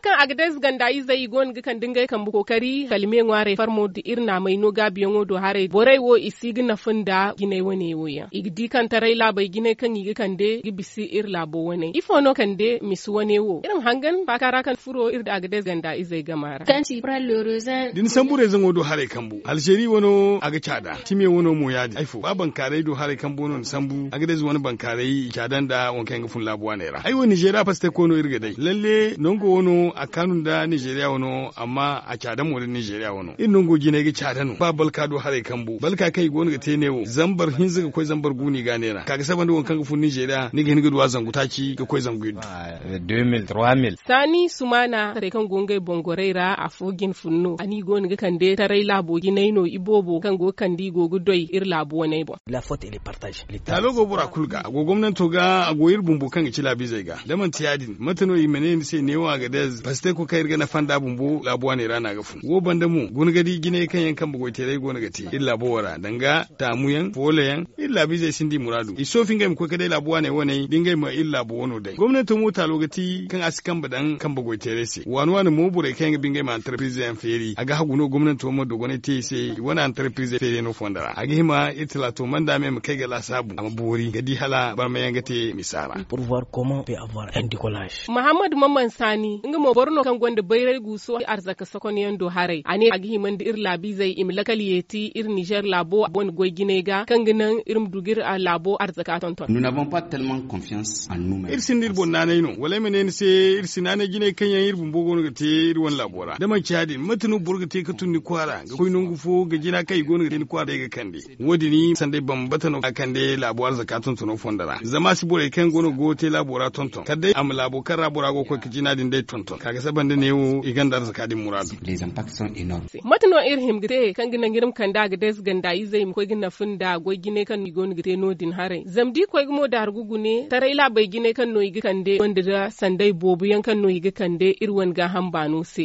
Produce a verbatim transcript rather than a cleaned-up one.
Kaŋ a ga day ze ganda izey i go no ga kande ngey kambe kookari kala me ŋwaaray farmo nda iri naamay no gaabiyaŋo do haray borey wo i si ga nafa nda jinay wane wo yaŋ i ga di kaŋ taray laabey jinay kaŋ i ga kande ga bisa iri laabo wane ifo no kande misa wane wo iri ma hangan faaka ra kaŋ furo iri da a ga day ze ganda izey gama ra. Da ni sambu reezaŋo do haray kambu alzeeri wano a ga caada time wano mo ya- din ay fo ba bankaaray do haray kambu wano ni sambu a ga day ze wane bankaaray i caada nda waŋ kaŋ yaŋ ga fun laabu waaney ra ay wo ninzeeriya pasteko no iri ga day lalle nango wano a kaanu nda ninzeeriya wano amma a caada mo nda ninzeeriya wano iri nango jinay ga caada no ba balka do haray kambu balka kaŋ i go no ga te ne wo zambar hinza ga koy zambar gu no i ga a neera ka ga saba nda waŋ kaŋ ga fun ninzeeriya ni ga hin ga du a zangu taaci ga koy zangu iddu. Saani sumaana taray kaŋ go ngey boŋ gorey ra afo jine fun no a no i go no ga kande taray laabo jinay no iboobo kaŋ go ga kande i go ga doy iri laabu waney boŋ. Taalo go bora kulu ga a go gomnanto ga a go iri bumbo kaŋ ga ci laabiizey ga da manti ya- din mate no i ma ne ni se neewo a ga day ze pasteko kaŋ iri ga nafa nda bumbo laabu waaney ra no a ga fun wo banda mo guna ga di jinay kaŋ yaŋ kambe goyteeray go no ga te iri laabo wo ra danga taamu yaŋ foolo yaŋ iri laabiizey sinda i muraadu i soofi ngey ma koy ga day laabu waaney waney da ngey ma iri laabo wano day gomnanto mo taalo ga ti kaŋ a si kambe daŋ kambe goyteeray se waani waani mo borey kaŋ yaŋ ga ba ngey ma antarpirize yaŋ feeri a ga hagu no gomnanto ma dogonay te i se i wane antarpirize feeriyaŋo fonda ra a ga hima iri talaato manda me ma kay ga laasaabu a ma boori ga di hala barmayaŋ ga te misa ra. Mahammad mamman saani nga mo boro no kaŋ gonda bayray guuso arzaka sokonyaŋ do haray a ne a ga hima nda iri laabiizey i ma lakal yeeti iri nizer laabo wane goy jinay ga kaŋ ga naŋ iri ma du ga iri laabo arzaka tonton. Iri sinda iri boŋ naanay no wala ay ma ne ni se iri si naanay jinay kaŋ yaŋ iri bumbo go no ga te iri wane laabo ra da manci ya- din mate no boro ga te ga tun ni kwaara ga koy nangu fo ga jina kaŋ i go no ga te ni kwaara day ga kande wo- din sanday bambata no a kande laabo arzaka tontono fondo ra zama a si borey kaŋ go no ga goyo te laabo ra tonton kala day a ma laabo kaŋ ra bora go ga koy ga jina din day tonton ka ga saba nda neewo i gonda arzaka din muraadu. Mate no iri hima ga te kaŋ ga naŋ iri ma kande a ga day ze ganda izey ma koy ga nafa nda goy jinay kaŋ no i go no ga te no- din haray zama da i koy ga mo daargu gune taray laabey jinay kaŋ no i ga kande wande nda sanday boobo yaŋ kaŋ no i ga kande iri wane gaaham baano se.